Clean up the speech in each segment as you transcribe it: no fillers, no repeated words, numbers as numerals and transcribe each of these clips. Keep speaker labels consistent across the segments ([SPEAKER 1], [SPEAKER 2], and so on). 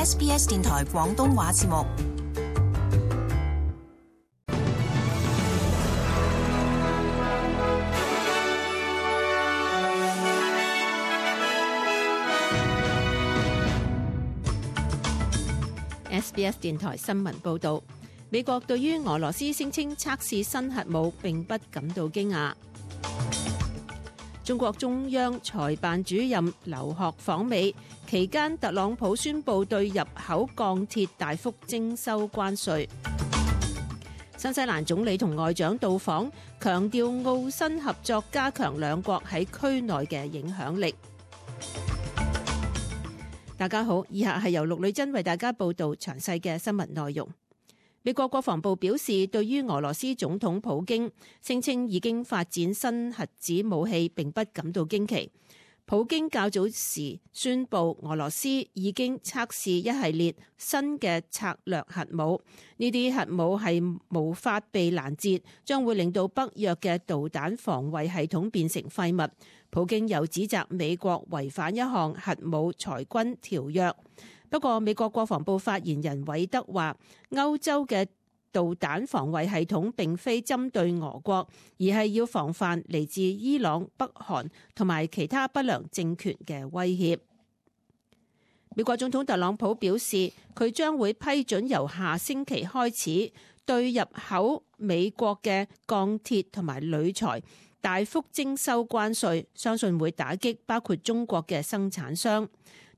[SPEAKER 1] SBS 電台廣東話節目。
[SPEAKER 2] SBS 電台新聞報導，美國對於俄羅斯聲稱測試新核武並不感到驚訝。中國中央財辦主任劉鶴訪美期間，特朗普宣布對入口鋼鐵大幅徵收關稅。新西蘭總理同外長到訪，強調澳新合作加強兩國喺區內嘅影響力。大家好，以下係由陸女珍為大家報道詳細嘅新聞內容。美國國防部表示，對於俄羅斯總統普京聲稱已經發展新核子武器並不感到驚奇。普京較早時宣布，俄羅斯已經測試一系列新嘅策略核武，呢啲核武係無法被攔截，將會令到北約嘅導彈防衛系統變成廢物。普京又指責美國違反一項核武裁軍條約。不過，美國國防部發言人韋德話，歐洲嘅導彈防衛系統並非針對俄國，而係要防範嚟自伊朗、北韓同埋其他不良政權嘅威脅。美國總統特朗普表示，佢將會批准由下星期開始對入口美國嘅鋼鐵同埋鋁材大幅徵收關稅，相信會打擊包括中國嘅生產商。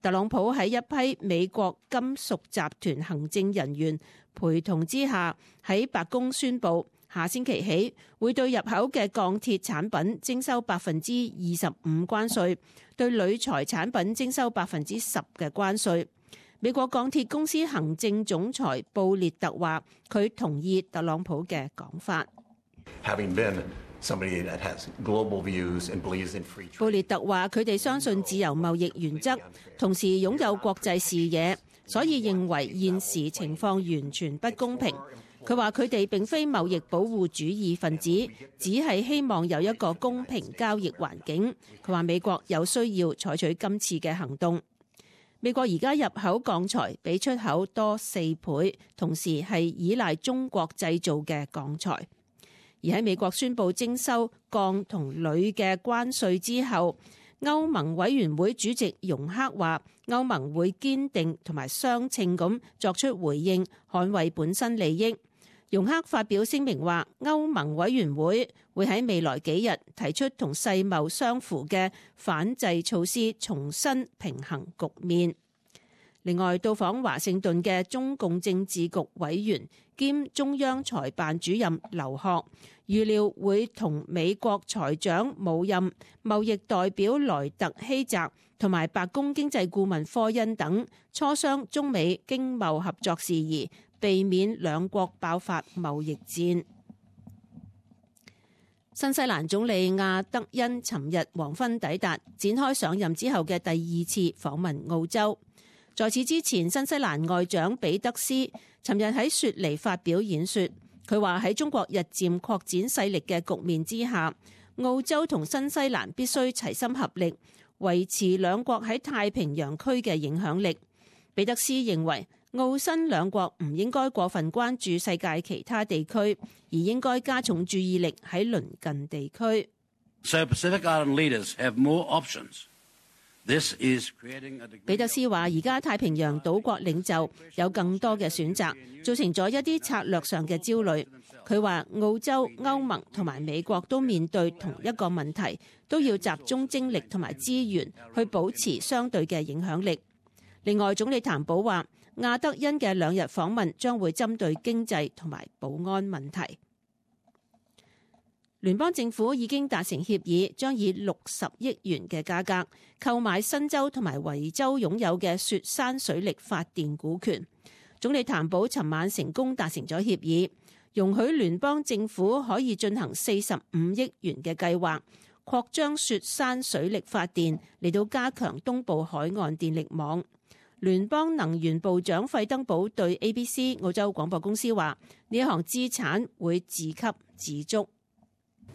[SPEAKER 2] 特朗普喺一批美國金屬集團行政人員陪同之下，喺白宮宣布，下星期起會對入口嘅鋼鐵產品徵收25%關稅，對鋁材產品徵收10%嘅關稅。美國鋼鐵公司行政總裁布列特話，佢同意特朗普嘅講法。布列特話，佢哋相信自由貿易原則，同時擁有國際視野，所以認為現時情況完全不公平。佢話佢哋並非貿易保護主義分子，只係希望有一個公平交易環境。佢話美國有需要採取今次嘅行動。美國而家入口鋼材比出口多4倍，同時係依賴中國製造嘅鋼材。而喺美國宣布徵收鋼同鋁嘅關稅之後，歐盟委員會主席容克話，歐盟會堅定同埋相稱咁作出回應，捍衛本身利益。容克發表聲明話，歐盟委員會會喺未來幾日提出同世貿相符嘅反制措施，重新平衡局面。另外，到訪華盛頓嘅中共政治局委員兼中央財辦主任劉鶴預料會同美國財長姆任、貿易代表萊特希澤同埋白宮經濟顧問科恩等磋商中美經貿合作事宜，避免兩國爆發貿易戰。新西蘭總理亞德恩尋日黃昏抵達，展開上任之後嘅第2次訪問澳洲。在此之前，新西蘭外長彼得斯尋日喺雪梨發表演說，佢話喺中國日漸擴展勢力嘅局面之下，澳洲同新西蘭必須齊心合力，維持兩國喺太平洋區嘅影響力。彼得斯認為，澳新兩國唔應該過分關注世界其他地區，而應該加重注意力喺鄰近地區。
[SPEAKER 3] So Pacific Island leaders have more options.
[SPEAKER 2] 彼得斯話：而家太平洋島國領袖有更多嘅選擇，造成咗一啲策略上嘅焦慮。佢話澳洲、歐盟同埋美國都面對同一個問題，都要集中精力同埋資源去保持相對嘅影響力。另外，總理譚寶話，亞德恩嘅2日訪問將會針對經濟同埋保安問題。聯邦政府已經達成協議，將以60億元嘅價格購買新州同埋維州擁有嘅雪山水力發電股權。總理譚寶尋晚成功達成咗協議，容許聯邦政府可以進行45億元嘅計劃，擴張雪山水力發電嚟到加強東部海岸電力網。聯邦能源部長費登堡對 ABC 澳洲廣播公司話：呢一項資產會自給自足。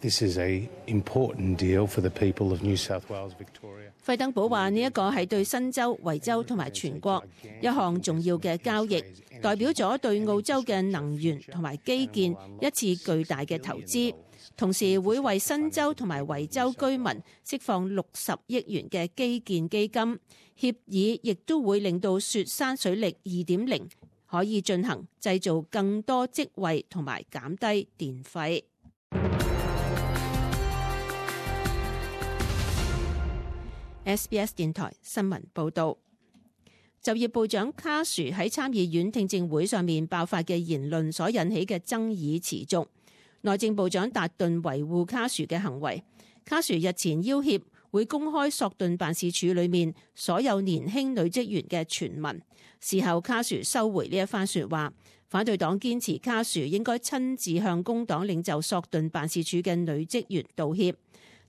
[SPEAKER 4] This is an important deal for the people of New South Wales, Victoria.
[SPEAKER 2] 費登堡話：呢一個係對新州、維州同埋全國一項重要嘅交易，代表咗對澳洲嘅能源同埋基建一次巨大嘅投資，同時會為新州同埋維州居民釋放60億元嘅基建基金。協議亦都會令到雪山水力 2.0 可以進行，製造更多職位同埋減低電費。SBS 電台新聞報導，就業部長卡殊喺參議院聽證會上面爆發嘅言論所引起嘅爭議持續。內政部長達頓維護卡殊嘅行為。卡殊日前要挾會公開索頓辦事處裏面所有年輕女職員嘅傳聞。事後卡殊收回呢一番說話。反對黨堅持卡殊應該親自向工黨領袖索頓辦事處嘅女職員道歉。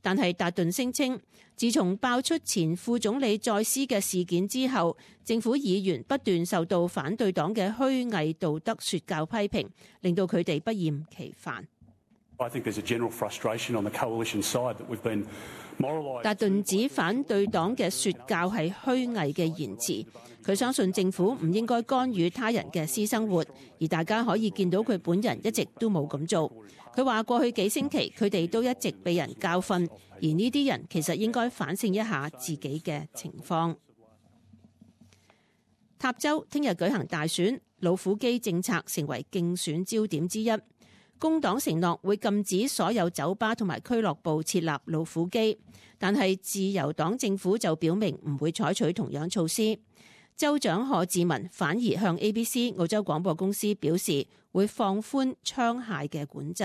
[SPEAKER 2] 但係達頓聲稱，自從爆出前副總理再斯嘅事件之後，政府議員不斷受到反對黨嘅虛偽道德說教批評，令到佢哋不厭其煩。達頓指反對黨嘅說教係虛偽嘅言辭，佢相信政府唔應該干預他人嘅私生活，而大家可以見到佢本人一直都冇咁做。佢話過去幾星期佢哋都一直被人教訓，而呢啲人其實應該反省一下自己嘅情況。塔州聽日舉行大選，老虎機政策成為競選焦點之一。工黨承諾會禁止所有酒吧同埋俱樂部設立老虎機，但係自由黨政府就表明唔會採取同樣措施。州長賀志文反而向 ABC 澳洲廣播公司表示，會放寬槍械嘅管制。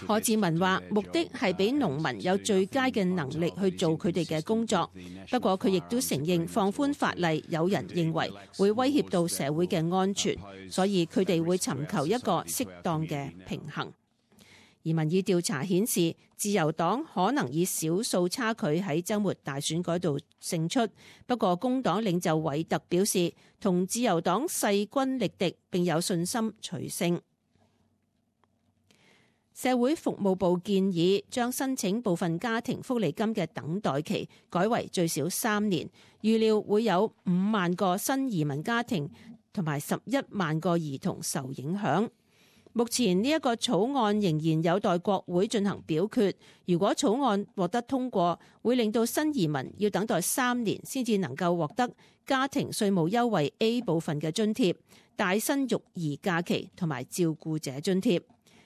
[SPEAKER 2] 賀志文話：目的係俾農民有最佳嘅能力去做佢哋嘅工作。不過佢亦都承認放寬法例，有人認為會威脅到社會嘅安全，所以佢哋會尋求一個適當嘅平衡。而民意調查顯示，自由黨可能以少數差距喺週末大選嗰度勝出。不過工黨領袖韋特表示，同自由黨勢均力敵，並有信心取勝。社會服務部建議將申請部分家庭福利金嘅等待期改為最少3年，預料會有5萬個新移民家庭同埋11萬個兒童受影響。目前呢一個草案仍然有待國會進行表決。如果草案獲得通過，會令到新移民要等待3年先至能夠獲得家庭稅務優惠 A 部分嘅津貼、帶薪育兒假期同埋照顧者津貼。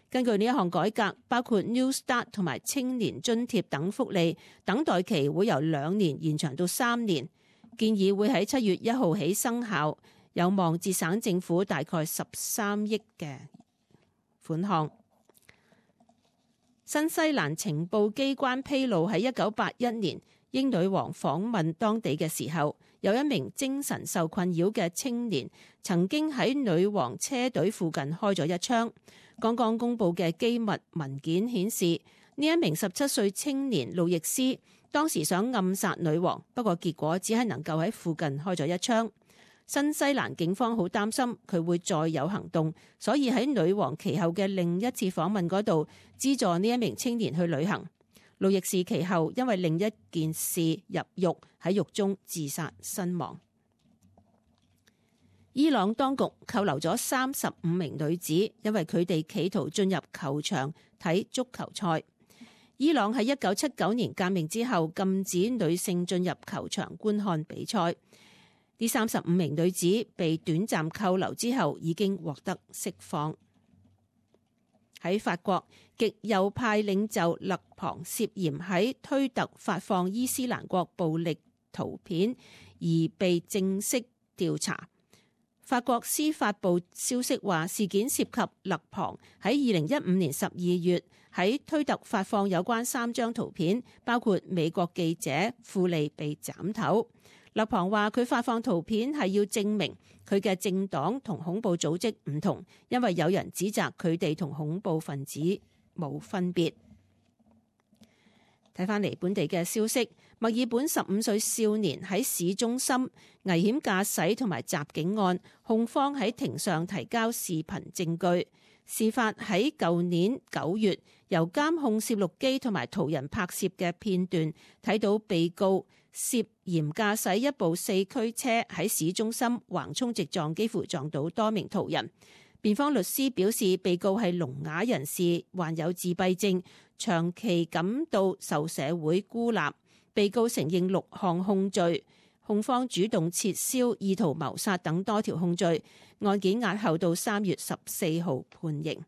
[SPEAKER 2] 根據呢一項改革，包括 New Start 同埋青年津貼等福利，等待期會由2年延長到3年。建議會喺7月1號起生效，有望節省政府大概13億嘅款項。新西蘭情報機關披露喺1981年，英女王訪問當地嘅時候，有一名精神受困擾嘅青年曾經喺女王車隊附近開咗一槍。剛剛公佈嘅機密文件顯示，呢一名17歲青年路易斯當時想暗殺女王，不過結果只係能夠喺附近開咗一槍。新西蘭警方好擔心佢會再有行動，所以喺女王其後嘅另一次訪問嗰度資助呢一名青年去旅行。路易斯其後因為另一件事入獄，喺獄中自殺身亡。伊朗當局扣留咗35名女子，因為佢哋企圖進入球場睇足球賽。伊朗喺1979年革命之後禁止女性進入球場觀看比賽。呢35名女子被短暫扣留之後已經獲得釋放。喺法國，極右派領袖勒龐涉嫌喺推特發放伊斯蘭國暴力圖片而被正式調查。法國司法部消息話，事件涉及勒龐喺2015年12月喺推特發放有關3張圖片，包括美國記者庫利被斬頭。勒龐話佢發放圖片係要證明佢嘅政黨同恐怖組織唔同，因為有人指責佢哋同恐怖分子冇分別。睇返嚟本地嘅消息，墨爾本15歲少年喺市中心危險駕駛同埋襲警案，控方喺庭上提交視頻證據。事發喺舊年9月，由監控攝錄機同埋途人拍攝嘅片段，睇到被告涉嫌駕駛一部4驅車喺市中心橫衝直撞，幾乎撞到多名途人。辯方律師表示，被告係聾啞人士，患有自閉症，長期感到受社會孤立。被告承認6項控罪，控方主動撤銷意圖謀殺等多條控罪。案件押後到3月14號判刑。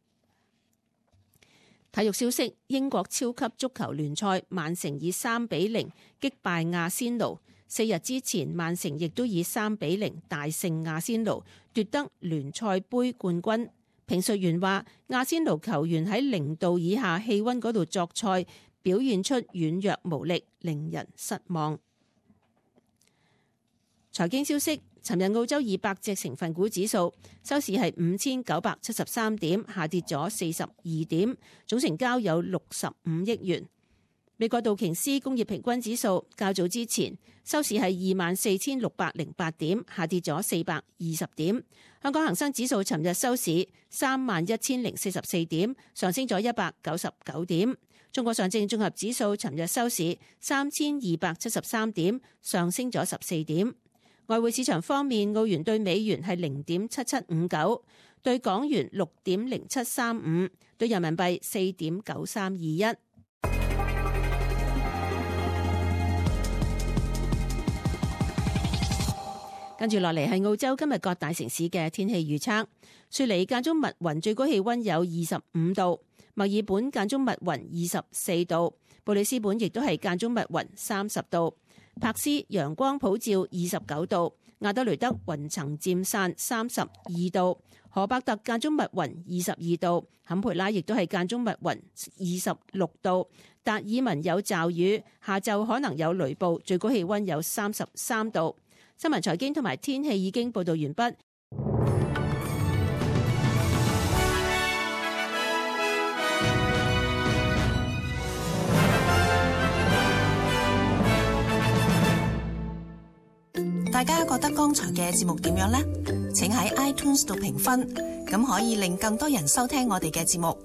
[SPEAKER 2] 體育消息：英國超級足球聯賽，曼城以3-0擊敗阿仙奴。4日之前，曼城亦都以3-0大勝阿仙奴，奪得聯賽杯冠軍。評述員話，阿仙奴球員喺0度以下氣溫嗰度作賽，表現出軟弱無力，令人失望。財經消息：尋日澳洲200隻成分股指數收市係5973點，下跌咗42點，總成交有65億元。美國道瓊斯工業平均指數較早之前收市係24,608點，下跌咗420點。香港恒生指數尋日收市31,044點，上升咗199點。中國上證綜合指數尋日收市3273點，上升咗14點。外匯市場方面，澳元對美元係0.7759，對港元6.0735，對人民幣4.9321。跟住落嚟係澳洲今日各大城市嘅天氣預測。雪梨間中密雲，最高氣溫有25度；墨爾本間中密雲24度；布里斯本亦都係間中密雲30度；柏斯陽光普照29度；亞德雷德雲層漸散32度；荷伯特間中密雲22度；坎培拉亦都係間中密雲26度；達爾文有驟雨，下晝可能有雷暴，最高氣溫有33度。新聞財經同埋天氣已經報道完畢。
[SPEAKER 1] 大家覺得剛才嘅節目點樣呢？請喺 iTunes 度評分，咁可以令更多人收聽我哋嘅節目。